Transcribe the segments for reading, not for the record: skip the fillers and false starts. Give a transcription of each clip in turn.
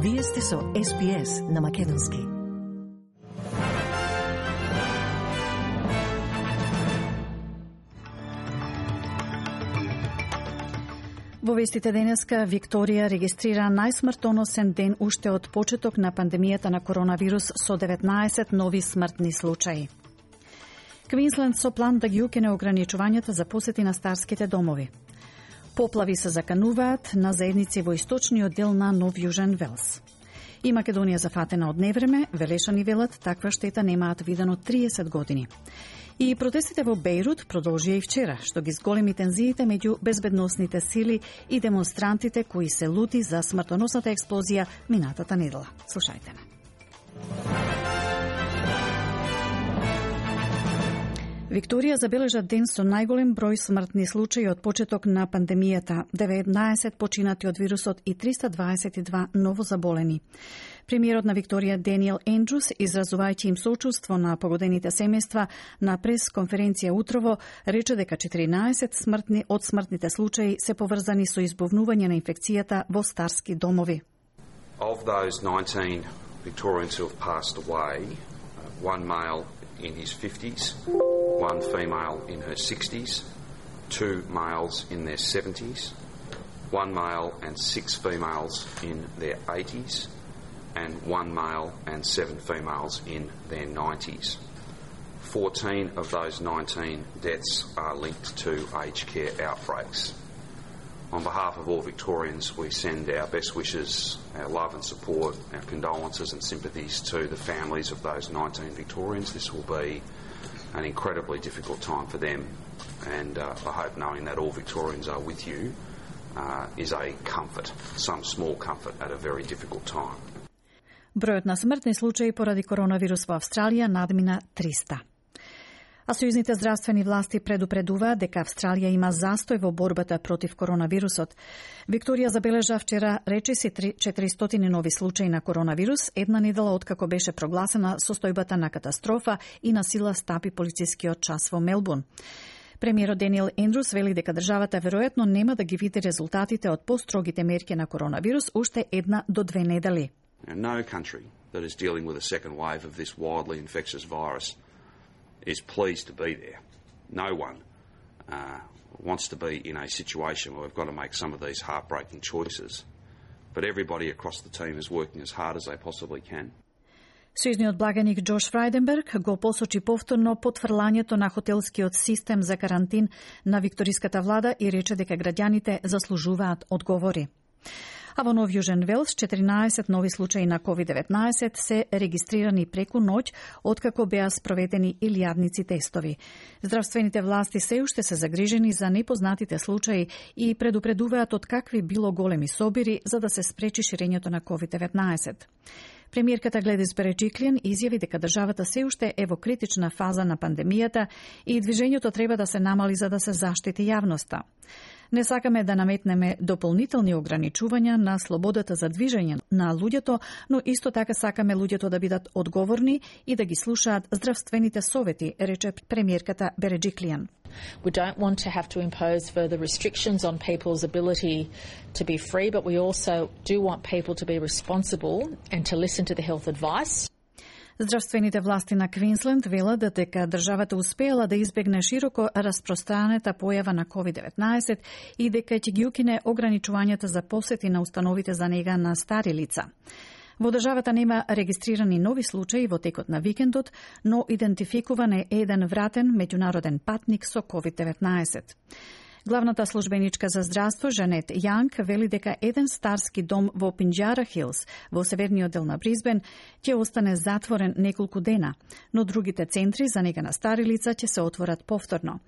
Вие сте со SBS на Македонски. Во вестите денеска, Викторија регистрира најсмртоносен ден уште од почеток на пандемијата на коронавирус со 19 нови смртни случаи. Квинсленд со план да ги укине ограничувањата за посети на старските домови. Поплави се закануваат на заедници во источниот дел на Нов Јужен Велс. И Македонија зафатена од невреме, велешани велат, таква штета немаат видено 30 години. И протестите во Бејрут продолжија и вчера, што ги зголеми тензиите меѓу безбедносните сили и демонстрантите кои се лути за смртоносната експлозија минатата недела. Слушајте ме. Викторија забележа ден со најголем број смртни случаи од почеток на пандемијата, 19 починати од вирусот и 322 новозаболени. Премиерот на Викторија Даниел Ендрус, изразувајќи им соучувство на погодените семејства на прес-конференција утрово, рече дека 14 од смртните случаи се поврзани со избовнување на инфекцијата во старски домови. Of those 19 Victorians who have passed away, one male in his 50s, one female in her 60s, two males in their 70s, one male and 6 females in their 80s, and one male and 7 females in their 90s. 14 of those 19 deaths are linked to aged care outbreaks. On behalf of all Victorians, we send our best wishes, our love and support, our condolences and sympathies to the families of those 19 Victorians. This will be an incredibly difficult time for them, and I hope knowing that all Victorians are with you is a comfort, some small comfort at a very difficult time. Бројот на смртни случаи поради коронавирус во Австралија надмина 300. А сојузните здравствени власти предупредуваат дека Австралија има застој во борбата против коронавирусот. Викторија забележа вчера речиси 400 нови случаи на коронавирус, една недела откако беше прогласена состојбата на катастрофа и на сила стапи полицискиот час во Мелбурн. Премиерот Даниел Ендрус вели дека државата веројатно нема да ги види резултатите од построгите мерки на коронавирус уште 1 до 2 недели. No country that is dealing with a second wave of this wildly infectious virus is pleased to be there. No one wants to be in a situation where we've got to make some of these heartbreaking choices. But everybody across the team is working as hard as they possibly can. Сојузниот благаник Джош Фрајденберг го посочи повторно потврлањето на хотелскиот систем за карантин на викториската влада и рече дека граѓаните заслужуваат одговори. А во Нов Јужен Велс 14 нови случаи на COVID-19 се регистрирани преку ноќ, откако беа спроведени илјадници тестови. Здравствените власти се уште се загрижени за непознатите случаи и предупредуваат од какви било големи собири за да се спречи ширењето на COVID-19. Премиерката Гледис Береджиклиан изјави дека државата се уште е во критична фаза на пандемијата и движењето треба да се намали за да се заштити јавноста. Не сакаме да наметнеме дополнителни ограничувања на слободата за движење на луѓето, но исто така сакаме луѓето да бидат одговорни и да ги слушаат здравствените совети, рече премиерката Береджиклиан. We don't want to have to impose further restrictions on people's ability to be free, but we also do want people to be responsible and to listen to the health advice. Здравствените власти на Квинсленд велат дека државата успеала да избегне широко распространета појава на COVID-19 и дека ќе ги укине ограничувањата за посети на установите за нега на стари лица. Во државата нема регистрирани нови случаи во текот на викендот, но идентификуван е еден вратен меѓународен патник со COVID-19. Главната службеничка за здравство Жанет Јанг вели дека еден старски дом во Пинџара Хилс, во северниот дел на Бризбен, ќе остане затворен неколку дена, но другите центри за нега на стари лица ќе се отворат повторно.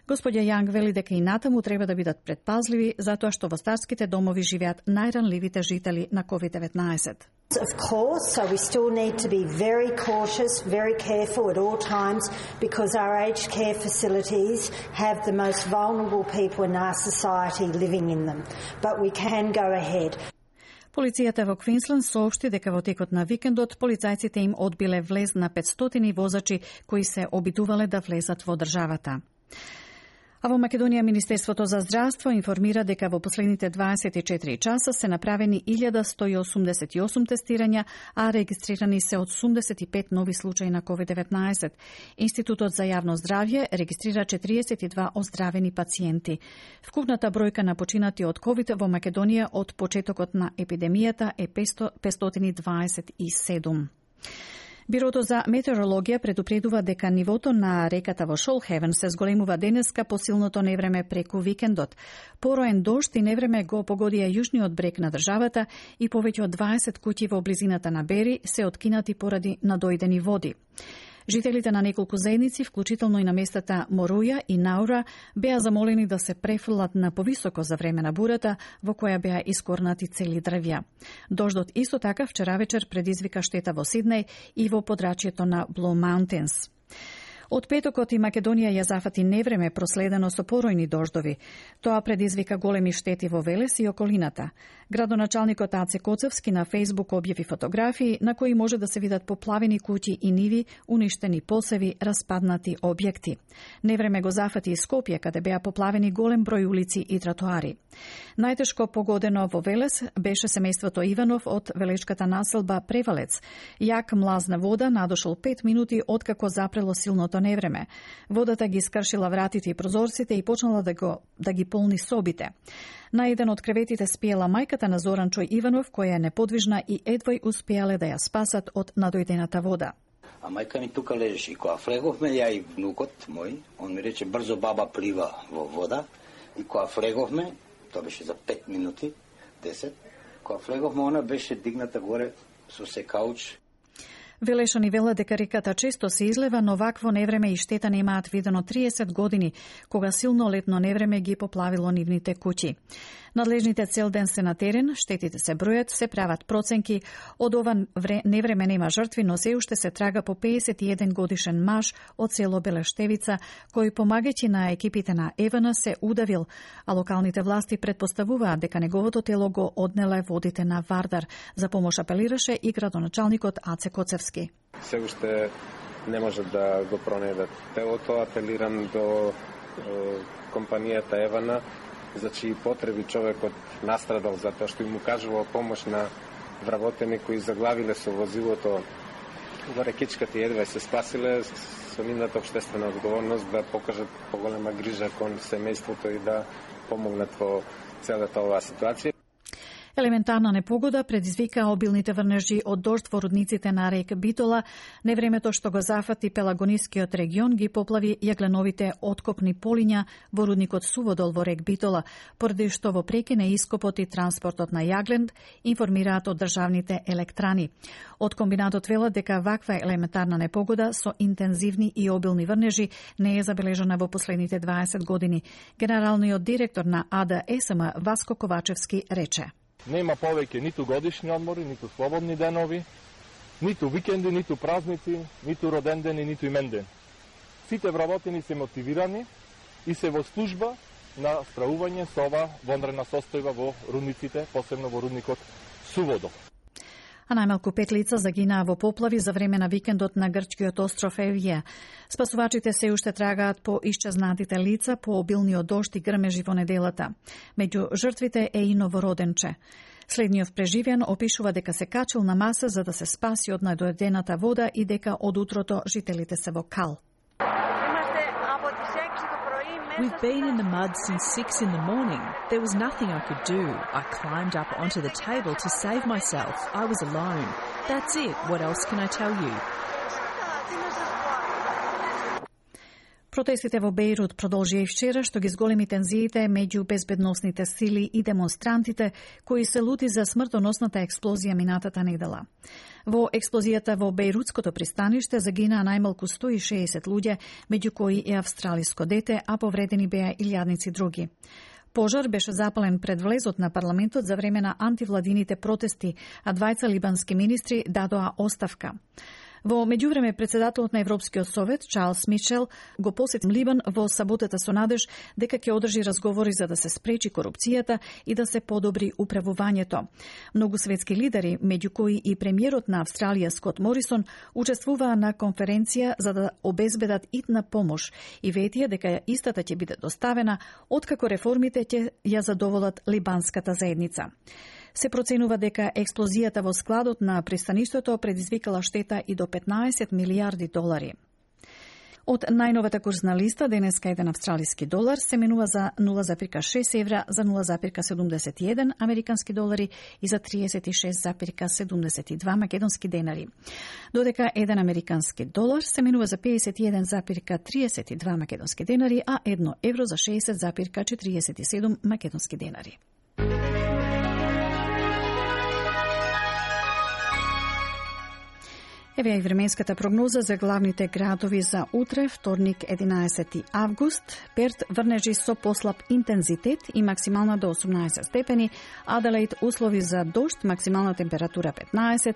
Господја Јанг вели дека и натаму треба да бидат предпазливи, затоа што во старските домови живеат најранливите жители на COVID-19. Of course, so we still need to be very cautious, very careful at all times because our aged care facilities have the most vulnerable people in our society living in them. But we can go ahead. Полицијата во Квинсленд соопшти дека во текот на викендот полицајците им одбиле влез на 500 возачи кои се обидувале да влезат во државата. А во Македонија Министерството за здравство информира дека во последните 24 часа се направени 1188 тестирања, а регистрирани се 85 нови случаи на COVID-19. Институтот за јавно здравје регистрира 42 оздравени пациенти. Вкупната бројка на починати од COVID во Македонија од почетокот на епидемијата е 527. Бирото за метеорологија предупредува дека нивото на реката во Шолхевен се зголемува денеска по силното невреме преку викендот. Пороен дожд и невреме го погодија јужниот брег на државата и повеќе од 20 куќи во близината на Бери се откинати поради надојдени води. Жителите на неколку заедници, вклучително и на местата Моруја и Наура, беа замолени да се префрлат на повисоко за време на бурата, во која беа искорнати цели дрвја. Дождот исто така вчера вечер предизвика штета во Сиднеј и во подрачјето на Blue Mountains. Од петокот и Македонија ја зафати невреме проследено со поројни дождови. Тоа предизвика големи штети во Велес и околината. Градоначалникот Аце Коцевски на Фејсбук објави фотографии на кои може да се видат поплавени куќи и ниви, уништени посеви, распаднати објекти. Невреме го зафати и Скопје, каде беа поплавени голем број улици и тротоари. Најтешко погодено во Велес беше семејството Иванов од велешката населба Превалец. Јак млазна вода надошол 5 минути откако запрело силното невреме. Водата ги скршила вратите и прозорците и почнала да ги полни собите. На еден од креветите спиела мајката на Зоран Чој Иванов, која е неподвижна и едвај успеале да ја спасат од надојдената вода. А мајка ми тука лежи. И кога флеговме, ја и внукот мој, он ми рече брзо баба плива во вода. И кога флеговме, тоа беше за 5 минути, 10, кога флеговме, она беше дигната горе со секауч. Велешани вела дека реката често се излева, но вакво невреме и штета немаат видено 30 години, кога силно летно невреме ги поплавило нивните куќи. Надлежните цел ден се на терен, штетите се бројат, се прават проценки. Од ова невреме нема жртви, но се уште се трага по 51 годишен маж од село Белештевица, кој помагајќи на екипите на ЕВН се удавил, а локалните власти предпоставуваат дека неговото тело го однеле водите на Вардар. За помош апелираше и градоначалникот Аце Коцевски. Се уште не може да го пронајдат телото, апелирам до компанијата ЕВН, за чии потреби човекот настрадал затоа што им укажувал помош на вработени кои заглавиле со возилото во рекичката и едва се спасиле, со нивната општествена одговорност да покажат поголема грижа кон семејството и да помогнат во целата оваа ситуација. Елементарна непогода предизвика обилните врнежи од дожд во рудниците на рек Битола. Невремето што го зафати Пелагонискиот регион ги поплави јагленовите откопни полиња во рудникот Суводол во рек Битола, поради што во прекине ископот и транспортот на јаглен, информираат од државните електрани. Од комбинатот велат дека ваква елементарна непогода со интензивни и обилни врнежи не е забележана во последните 20 години. Генералниот директор на АДСМ Васко Ковачевски рече: Нема повеќе ниту годишни одмори, ниту слободни денови, ниту викенди, ниту празници, ниту роден ден и ниту имен ден. Сите вработени се мотивирани и се во служба на справување со ова вонредна состојба во рудниците, посебно во рудникот Суводол. А најмалку 5 лица загинаа во поплави за време на викендот на грчкиот остров Евија. Спасувачите се уште трагаат по исчезнатите лица по обилниот дожд и грмежи во неделата. Меѓу жртвите е и новороденче. Следниот преживен опишува дека се качил на маса за да се спаси од надојдената вода и дека од утрото жителите се во кал. We've been in the mud since 6 in the morning. There was nothing I could do. I climbed up onto the table to save myself. I was alone. That's it. What else can I tell you? Протестите во Бејрут продолжија и вчера, што ги зголеми тензиите меѓу безбедносните сили и демонстрантите, кои се лути за смртоносната експлозија минатата недела. Во експлозијата во Бејрутското пристаниште загинаа најмалку 160 луѓе, меѓу кои и австралиско дете, а повредени беа илјадници други. Пожар беше запален пред влезот на парламентот за време на антивладините протести, а двајца либански министри дадоа оставка. Во меѓувреме, председателот на Европскиот совет, Чарлс Мичел, го посети Либан во саботата со надеж дека ќе одржи разговори за да се спречи корупцијата и да се подобри управувањето. Многу светски лидери, меѓу кои и премиерот на Австралија Скот Морисон, учествуваа на конференција за да обезбедат итна помош и ветија дека истата ќе биде доставена откако реформите ќе ја задоволат либанската заедница. Се проценува дека експлозијата во складот на пристаништето предизвикала штета и до 15 милиарди долари. Од најновата курсна листа, денеска еден австралиски долар се менува за 0,6 евра, за 0,71 американски долари и за 36,72 македонски денари. Додека еден американски долар се менува за 51,32 македонски денари, а 1 евро за 60,47 македонски денари. Еве и временската прогноза за главните градови за утре, вторник 11 август. Перт врнежи со послаб интензитет и максимална до 18 степени. Аделаид услови за дожд, максимална температура 15.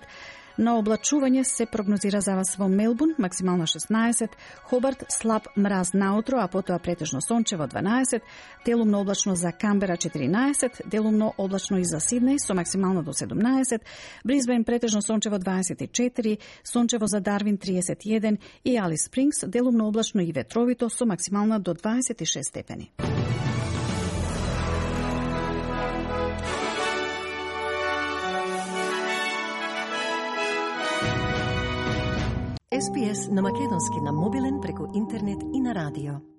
На облачување се прогнозира за вас во Мелбурн, максимална 16, Хобарт слаб мраз наутро, а потоа претежно сончево 12, делумно облачно за Камбера 14, делумно облачно и за Сиднеј со максимално до 17, Брисбен претежно сончево 24, сончево за Дарвин 31 и Алис Спрингс делумно облачно и ветровито со максимална до 26 степени. SPS на македонски на мобилен преку интернет и на радио.